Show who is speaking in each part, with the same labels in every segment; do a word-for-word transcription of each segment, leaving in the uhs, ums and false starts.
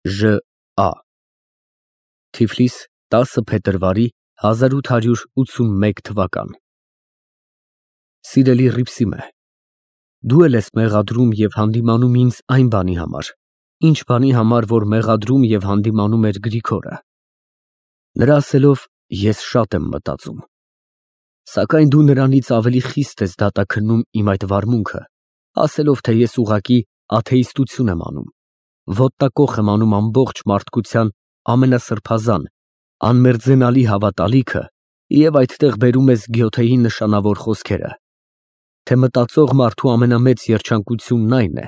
Speaker 1: Ժ Ա Թիֆլիս տասը փետրվարի հազար ութ հարյուր ութսունմեկ թվական Սիրելի Հռիփսիմե, դու էլ ես մեղադրում և հանդիմանում ինձ այն բանի համար, ինչ բանի համար, որ մեղադրում և հանդիմանում էր Գրիգորը։ Նրա ասելով, ես շատ եմ մտածում, սակայն դու նրանից ավելի խիստ ես դատաքննում իմ այդ վարմունքը, ասելով, թե ես ուղղակի աթեիստություն եմ անում, ոտնակոխ եմ անում ամբողջ մարդկության ամենասրբազան, անմերձենալի հավատալիքը և այդտեղ բերում ես Գյոթեի նշանավոր խոսքերը, թե մտածող մարդու ամենամեծ երջանկությունն այն է,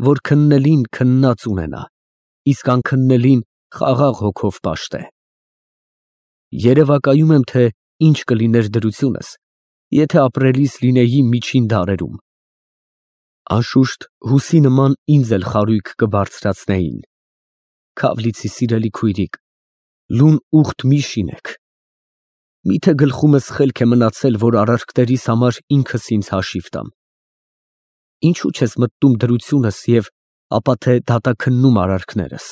Speaker 1: որ քննելին քննած ունենա, իսկ անքննելին խաղաղ հոգով պաշտե։ Երևակայում եմ, թե ինչ կլիներ դրությունս, եթե ապրելիս լինեի միջին դարերում։ Անշուշտ, հուսի նման ինձ էլ խարույկ կբարձրացնեին։ Քավլիցի սիրելի քույրիկ, լուն ուղտ մի շինեք։ Միթե գլխումս խելք է մնացել, որ արարքներիս համար ինքս ինձ հաշիվ տամ։ Ինչու չես մտնում դրությունս և ապա թե դատաքննում արարքներս։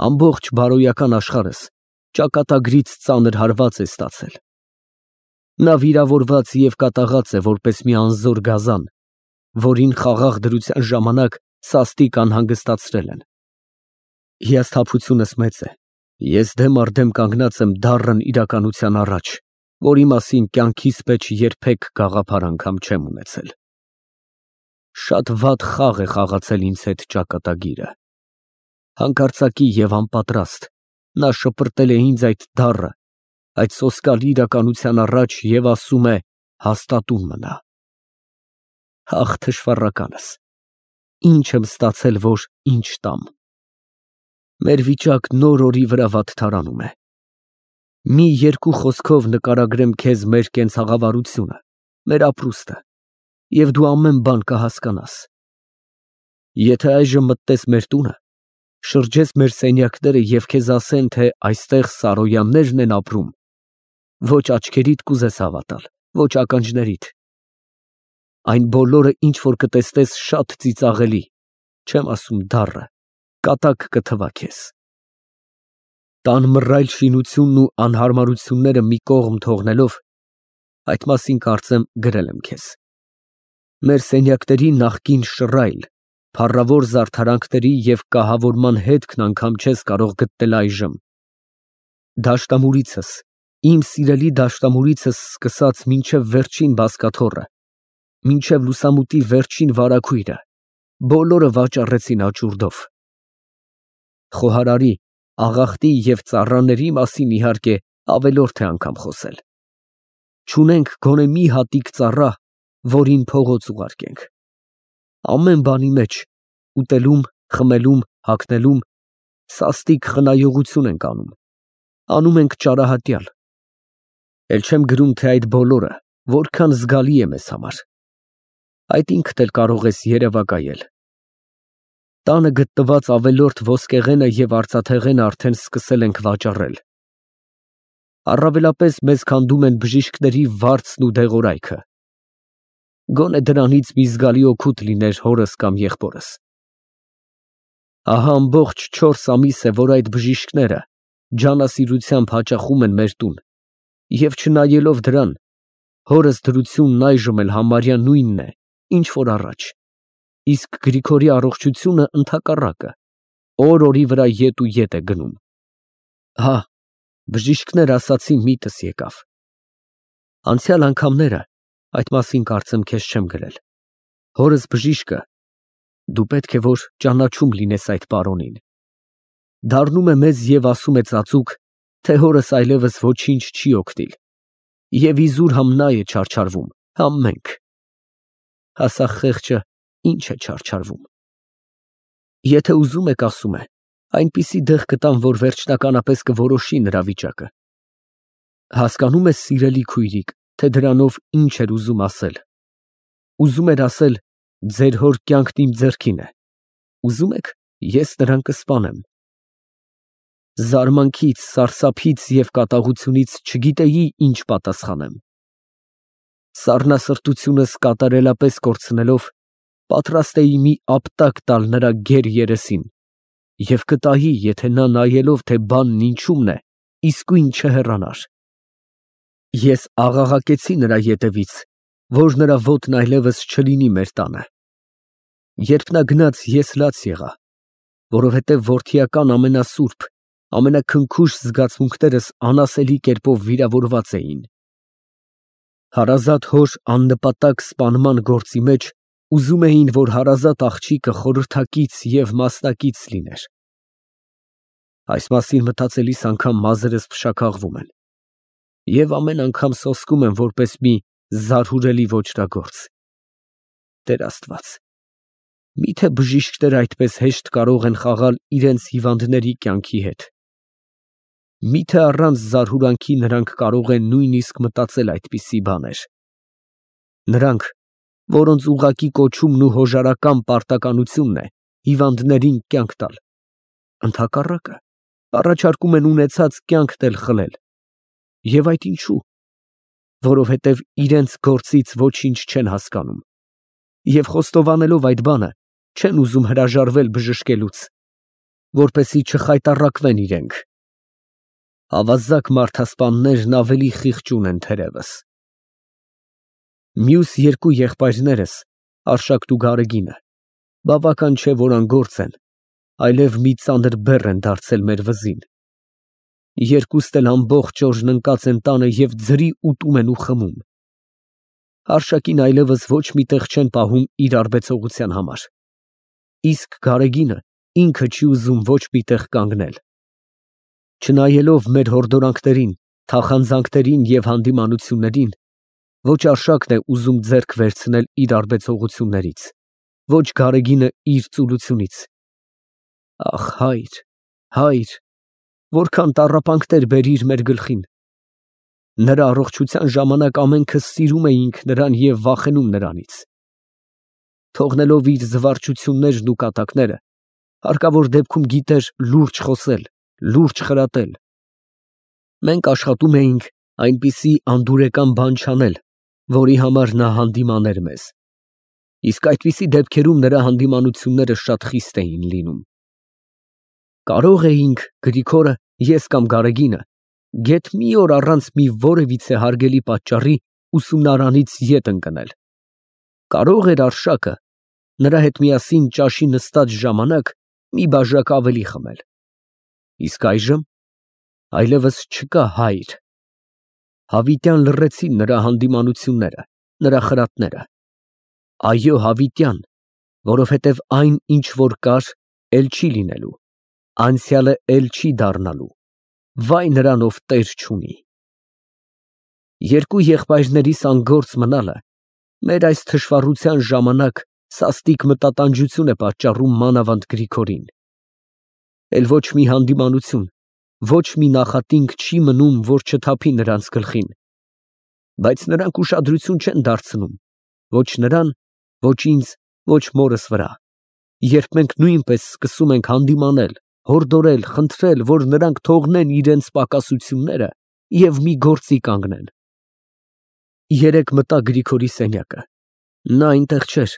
Speaker 1: Ամբողջ բարոյական աշխարհս ճակատագրից ծանր հարված է ստացել։ Նա վիրավորված և կատաղած է, որպես մի անզոր գազան, որին խաղաղ դրության ժամանակ սաստիկ անհանգստացրել են։ Հիասթափությունս մեծ է, ես դեմ առ դեմ կանգնած եմ դառն իրականության առաջ, որի մասին կյանքիս մեջ երբեք գաղափար անգամ չեմ ունեցել։ Շատ վատ խաղ է խաղացել ինձ հետ ճակատագիրը։ Հանկարծակի և անպատրաստ նա շպրտել է ինձ այդ դառը, այդ սոսկալի իրականության առաջ և ասում է. հաստատուն մնա։ Ախ, թշվառականս, ինչ եմ ստացել, որ ինչ տամ։ Մեր վիճակն օր֊օրի վրա վատթարանում է։ Մի երկու խոսքով նկարագրեմ քեզ մեր կենցաղավարությունը, մեր ապրուստը, և դու ամեն բան կհասկանաս։ Եթե այժմ մտնես մեր տունը, շրջես մեր սենյակները և քեզ ասեն, թե այստեղ Սարոյաններն են ապրում, ոչ աչքերիդ կուզես հավատալ, ոչ ականջներիդ։ Այն բոլորը, ինչ որ կտեսնես, շատ ծիծաղելի, չեմ ասում դառը, կատակ կթվա քեզ։ Տան մռայլ շինությունն ու անհարմարությունները մի կողմ թողնելով, այդ մասին կարծեմ գրել եմ քեզ։ Մեր սենյակների նախկին շռայլ, փառավոր զարդարանքների և կահավորման հետքն անգամ չես կարող գտնել այժմ։ Դաշտամուրիցս, իմ սիրելի դաշտամուրիցս սկսած մինչև վերջին բազկաթոռը, մինչև լուսամուտի վերջին վարագույրը, բոլորը վաճառեցին աճուրդով։ Խոհարարի, աղախտի և ծառաների մասին, իհարկե, ավելորդ է անգամ խոսել։ Չունենք գոնե մի հատիկ ծառա, որին փողոց ուղարկենք։ Ամեն բանի մեջ, ուտելում, խմելում, հագնելում, սաստիկ խնայողություն ենք անում, անում ենք ճարահատյալ։ Էլ չեմ գրում, թե այդ բոլորը որքան զգալի է մեզ համար։ Այդ ինքդ էլ կարող ես երևակայել։ Տանը գտնված ավելորդ ոսկեղենը և արծաթեղենը արդեն սկսել ենք վաճառել։ Առավելապես մեզ քանդում են բժիշկների վարձն ու դեղորայքը։ Գոնե դրանից մի զգալի օգուտ լիներ հորս կամ եղբորս։ Ահա ամբողջ չորս ամիս է, որ այդ բժիշկները ջանասիրությամբ հաճախում են մեր տուն, և չնայելով դրան, հորս դրությունն այժմ էլ համարյա նույնն է, ինչ որ առաջ, իսկ Գրիգորի առողջությունը ընդհակառակը, օր֊օրի վրա ետ ու ետ է գնում։ Հա, բժիշկներ ասացին, միտս եկավ։ Անցյալ անգամները, այդ մասին կարծեմ քեզ չեմ գրել, հորս բժիշկը, դու պետք է որ ճանաչում լինես այդ պարոնին, դառնում է մեզ և ասում է ծածուկ, թե հորս այլևս ոչինչ չի օգնիլ, և իզուր համ նա է չարչարվում, համ մենք։ Ասա խեղճը ինչ է չարչարվում։ Եթե ուզում եք, ասում է, այնպիսի դեղ կտամ, որ վերջնականապես կորոշի նրա վիճակը։ Հասկանո՞ւմ ես, սիրելի քույրիկ, թե դրանով ինչ էր ուզում ասել։ Ուզում էր ասել. ձեր հոր կյանքն իմ ձեռքին է, ուզում եք, ես նրան կսպանեմ։ Զարմանքից, սարսափից և կատաղությունից չգիտեի ինչ պատասխանեմ։ Սառնասրտությունս կատարելապես կորցնելով, պատրաստ էի մի ապտակ տալ նրա գեր երեսին և կտայի, եթե նա նայելով, թե բանն ինչումն է, իսկույն չհեռանար։ Ես աղաղակեցի նրա ետևից, որ նրա ոտն այլևս չլինի մեր տանը։ Երբ նա գնաց, ես լաց եղա, որովհետև որդիական ամենասուրբ, ամենաքնքուշ զգացմունքներս անասելի կերպով վիրավորված էին։ Հարազատ հոր աննպատակ սպանման գործի մեջ ուզում էին, որ հարազատ աղջիկը խորհրդակից և մասնակից լիներ։ Այս մասին մտածելիս անգամ մազերս փշաքաղվում են և ամեն անգամ սոսկում եմ որպես մի զարհուրելի ոճրագործ։ Տեր Աստված, մի՞թե բժիշկները այդպես հեշտ կարող են խաղալ իրենց հիվանդների կյանքի հետ։ Մի՞թե առանց զարհուրանքի նրանք կարող են նույնիսկ մտածել այդպիսի բաներ։ Նրանք, որոնց ուղղակի կոչումն ու հոժարական պարտականությունն է հիվանդներին կյանք տալ, ընդհակառակը, առաջարկում են ունեցած կյանքն էլ խլել։ Եվ այդ ինչու՞։ Որովհետև իրենց գործից ոչինչ չեն հասկանում և խոստովանելով այդ բանը, չեն ուզում հրաժարվել բժշկելուց, որպեսզի չխայտառակվեն իրենք։ Ավազակ մարդասպաններն ավելի խիղճուն են թերևս։ Մյուս երկու եղբայրներս, Արշակն ու Գարեգինը, բավական չէ, որ անգործ են, այլև մի ծանր բեռ են դարձել մեր վզին։ Երկուստ էլ ամբողջ օրն ընկած են տանը և ձրի ուտում են ու խմում։ Արշակին այլևս ոչ մի տեղ չեն պահում իր արբեցողության համար, իսկ Գարեգինը ինքը չի ուզում ոչ մի տեղ կանգնել։ Չնայելով մեր հորդորանքներին, թախանձանքներին և հանդիմանություններին, ոչ Արշակն է ուզում ձեռք վերցնել իր արբեցողություններից, ոչ Գարեգինը իր ծուլությունից։ Ախ, հայր, հայր, որքան տառապանքներ բերիր մեր գլխին։ Նրա առողջության ժամանակ ամենքս սիրում էինք նրան և վախենում նրանից։ Թողնելով իր զվարճություններն ու կատակները, հարկավոր դեպքում գիտեր լուրջ խոսել, լուրջ խրատել։ Մենք աշխատում էինք այնպիսի անդուրեկան բան չանել, որի համար նա հանդիմաներ մեզ, իսկ այդպիսի դեպքերում նրա հանդիմանությունները շատ խիստ էին լինում։ Կարող էինք Գրիգորը, ես կամ Գարեգինը, գեթ մի օր առանց մի որևիցե հարգելի պատճառի ուսումնարանից ետ ընկնել։ Կարող էր Արշակը նրա հետ միասին ճաշի նստած ժամանակ մի բաժակ ավելի խմել։ Իսկ այժմ այլևս չկա հայր։ Հավիտյան լռեցին նրա հանդիմանությունները, նրա խրատները։ Այո, հավիտյան, որովհետև այն, ինչ որ կար, էլ չի լինելու, անցյալը էլ չի դառնալու, վայ նրան, ով տեր չունի։ Երկու եղբայրներիս անգործ մնալը մեր այս թշվառության ժամանակ սաստիկ մտատանջություն է պատճառում մանավանդ Գրիգորին։ Էլ ոչ մի հանդիմանություն, ոչ մի նախատինք չի մնում, որ չթափի նրանց գլխին, բայց նրանք ուշադրություն չեն դարձնում ոչ նրան, ոչ ինձ, ոչ մորս վրա, երբ մենք նույնպես սկսում ենք հանդիմանել, հորդորել, խնդրել, որ նրանք թողնեն իրենց պակասությունները և մի գործի կանգնեն։ Երեկ մտա Գրիգորի սենյակը։ Նա այնտեղ չէր,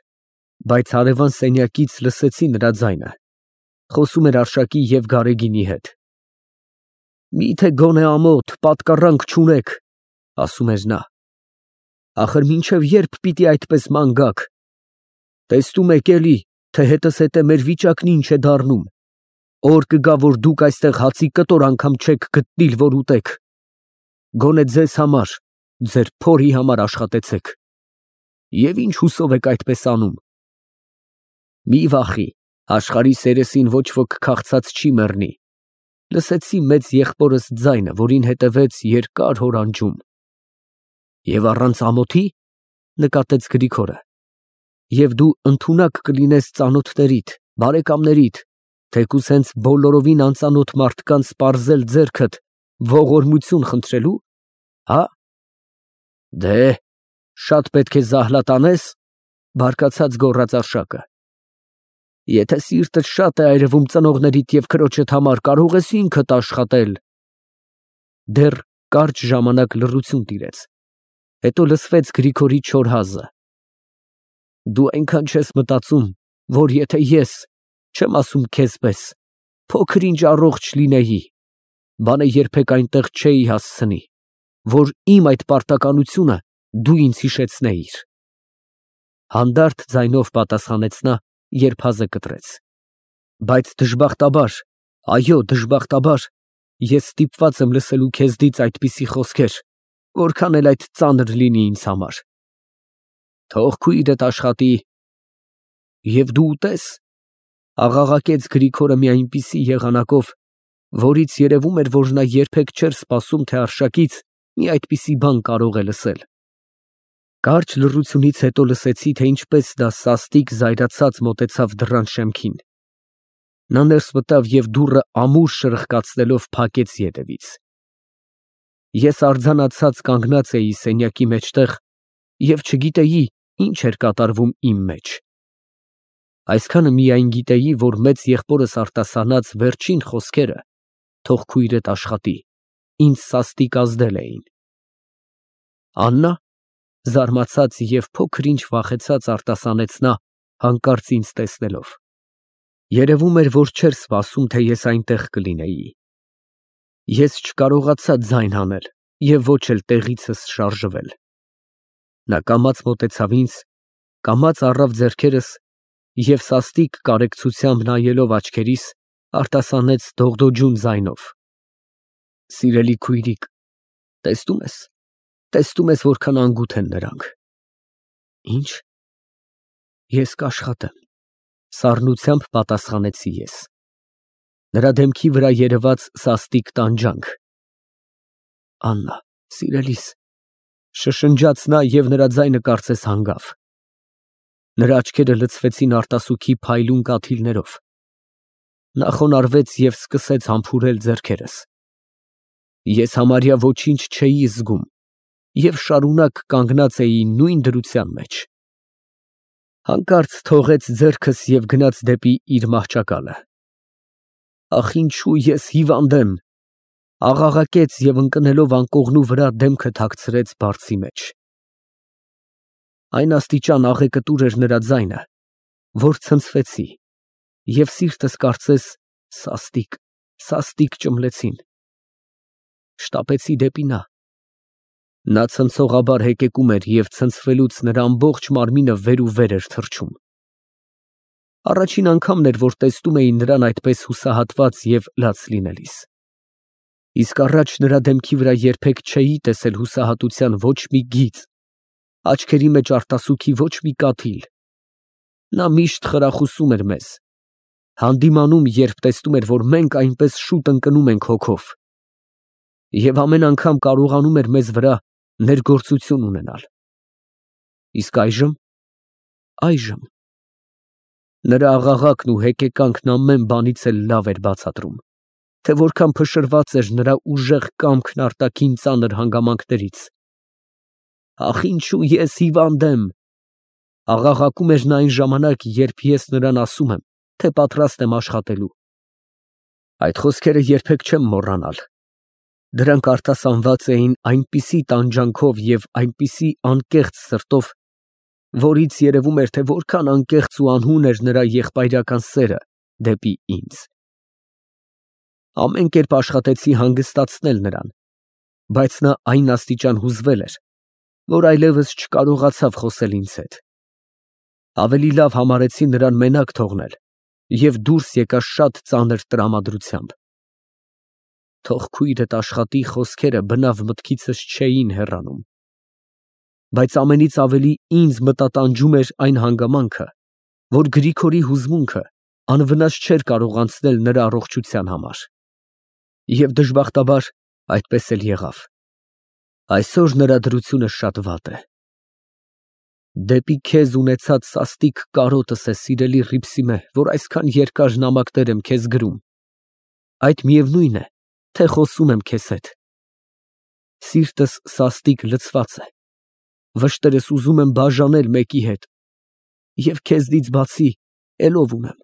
Speaker 1: բայց հարևան սենյակից լսեցի նրա ձայնը, խոսում էր Արշակի և Գարեգինի հետ։ Մի՞թե գոնե ամոթ, պատկառանք չունեք, ասում էր նա։ Ախր մինչև ե՞րբ պիտի այդպես ման գաք։ Տեսնում եք էլի, թե հետզհետե մեր վիճակն ինչ է դառնում։ Օր կգա, որ դուք այստեղ հացի կտոր անգամ չեք գտնիլ, որ ուտեք։ Գոնե ձեզ համար, ձեր փորի համար աշխատեցեք։ Եվ ինչ հուսով եք այդպես անում։ Մի վախի, աշխարհի երեսին ոչ ոք քաղցած չի մեռնի։ Լսեցի մեծ եղբորս ձայնը, որին հետևեց երկար հորանջում։ Եվ առանց ամոթի, նկատեց Գրիգորը, և դու ընդունակ կլինես ծանոթներիդ, բարեկամներիդ, թեկուզ հենց բոլորովին անծանոթ մարդկանց պարզել ձեռքդ, ողորմություն խնդրելու, հա՞։ Դե, շատ պետք է զահլատանես, բարկացած գոռաց Արշակը։ Եթե սիրտդ շատ է այրվում ծնողներիդ և քրոջդ համար, կարող ես ինքդ աշխատել։ Դեռ կարճ ժամանակ լռություն տիրեց, հետո լսվեց Գրիգորի չոր հազը։ Դու այնքան չես մտածում, որ եթե ես, չեմ ասում քեզ պես, փոքր ինչ առողջ լինեի, բանը երբեք այնտեղ չէի հասցնի, որ իմ այդ պարտականությունը դու ինձ հիշեցնեիր։ Հանդարտ ձայնով պատասխանեց նա, երբ հազը կտրեց։ Բայց դժբախտաբար, այո, դժբախտաբար, ես ստիպված եմ լսելու քեզնից այդպիսի խոսքեր, որքան էլ այդ ծանր լինի ինձ համար։ Թող քույրդ աշխատի։ Եվ դու ուտես, աղաղակեց Գրիգորը մի այնպիսի եղանակով, որից երևում էր, որ նա երբեք չէր սպասում, թե Արշակից մի այդպիսի բան կարող է լսել։ Կարճ լռությունից հետո լսեցի, թե ինչպես դա սաստիկ զայրացած մոտեցավ դռան շեմքին։ Նա ներս մտավ և դուռը ամուր շրխկացնելով փակեց ետևից։ Ես արձանացած կանգնած էի սենյակի մեջտեղ և չգիտեի, ինչ էր կատարվում իմ մեջ։ Այսքանը միայն գիտեի, որ մեծ եղբորս արտասանած վերջին խոսքերը «թող քույրդ աշխատի» ինձ սաստիկ ազդել էին։ Աննա, զարմացած և փոքր ինչ վախեցած արտասանեց նա, հանկարծ ինձ տեսնելով։ Երևում էր, որ չէր սպասում, թե ես այնտեղ կլինեի։ Ես չկարողացա ձայն հանել և ոչ էլ տեղիցս շարժվել։ Նա կամաց մոտեցավ ինձ, կամաց առավ ձեռքերս և սաստիկ կարեկցությամբ նայելով աչքերիս, արտասանեց դողդոջուն ձայնով. «Սիրելի քույրիկ, տեսնո՞ւմ ես, տեսնո՞ւմ ես, որքան անգութ են նրանք»։ Ի՞նչ։ Ես կաշխատեմ, սառնությամբ պատասխանեցի ես։ Նրա դեմքի վրա երևաց սաստիկ տանջանք։ Աննա, սիրելիս, շշնջաց նա և նրա ձայնը կարծես հանգավ։ Նրա աչքերը լցվեցին արտասուքի փայլուն կաթիլներով։ Նա խոնարհվեց և սկսեց համբուրել ձեռքերս։ Ես համարյա ոչինչ չէի զգում և շարունակ կանգնած էի նույն դրության մեջ։ Հանկարծ թողեց ձեռքս և գնաց դեպի իր մահճակալը։ Ախ, ինչու ես հիվանդ եմ, աղաղակեց և ընկնելով անկողնու վրա դեմքը թաքցրեց բարձի մեջ։ Այն աստիճան աղեկտուր էր նրա ձայնը, որ ցնցվեցի և սիրտս կարծես սաստիկ, սաստիկ ճմլեցին։ Շտապեցի դեպի նա։ Նա ցնցողաբար հեկեկում էր և ցնցվելուց նրա ամբողջ մարմինը վեր ու վեր էր թռչում։ Առաջին անգամն էր, որ տեսնում էի նրան այդպես հուսահատված և լաց լինելիս։ Իսկ առաջ նրա դեմքի վրա երբեք չէի տեսել հուսահատության ոչ մի գիծ, աչքերի մեջ արտասուքի ոչ մի կաթիլ։ Նա միշտ խրախուսում էր մեզ, հանդիմանում, երբ տեսնում էր, որ մենք այնպես շուտ ընկնում ենք հոգով, և ամեն անգամ կարողանում էր մեզ վրա ներգործություն ունենալ։ Իսկ այժմ… այժմ… նրա աղաղակն ու հեկեկանքն ամեն բանից էլ լավ էր բացատրում, թե որքան փշրված էր նրա ուժեղ կամքն արտաքին ծանր հանգամանքներից։ Ախ, ինչու ես հիվանդ եմ, աղաղակում էր նա այն ժամանակ, երբ ես նրան ասում եմ, թե պատրաստ եմ աշխատելու։ Այդ խոսքերը երբեք չեմ մոռանալ։ Դրանք արտասանված էին այնպիսի տանջանքով և այնպիսի անկեղծ սրտով, որից երևում էր, թե որքան անկեղծ ու անհուն էր նրա եղբայրական սերը դեպի ինձ։ Ամեն կերպ աշխատեցի հանգստացնել նրան, բայց նա այն աստիճան հուզվել էր, որ այլևս չկարողացավ խոսել ինձ հետ։ Ավելի լավ համարեցի նրան մենակ թողնել և դուրս եկա շատ ծանր տրամադրությամբ։ «Թող քույրդ աշխատի» խոսքերը բնավ մտքիցս չէին հեռանում։ Բայց ամենից ավելի ինձ մտատանջում էր այն հանգամանքը, որ Գրիգորի հուզմունքը անվնաս չէր կարող անցնել նրա առողջության համար։ Եվ դժբախտաբար այդպես էլ եղավ։ Այսօր նրա դրությունը շատ վատ է։ Դեպի քեզ ունեցած սաստիկ կարոտս է, սիրելի Հռիփսիմե, որ այսքան երկար նամակներ եմ քեզ գրում, այդ միևնույն է, թե խոսում եմ քեզ հետ։ Սիրտս սաստիկ լցված է, վշտերս ուզում եմ բաժանել մեկի հետ, և քեզնից բացի էլ ո՞վ ունեմ։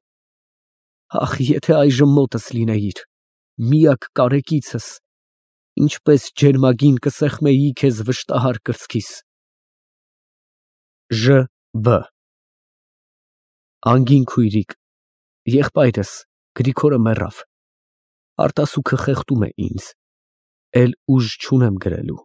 Speaker 1: Ախ, եթե այժմ մոտս լինեիր, միակ կարեկիցս, ինչպես ջերմագին կսեղմեի քեզ վշտահար կրծքիս։ Ժ. B. Անգին քույրիկ, եղբայրս Գրիգորը մեռավ։ Արտասուքը խեղդում է ինձ, էլ ուժ չունեմ գրելու։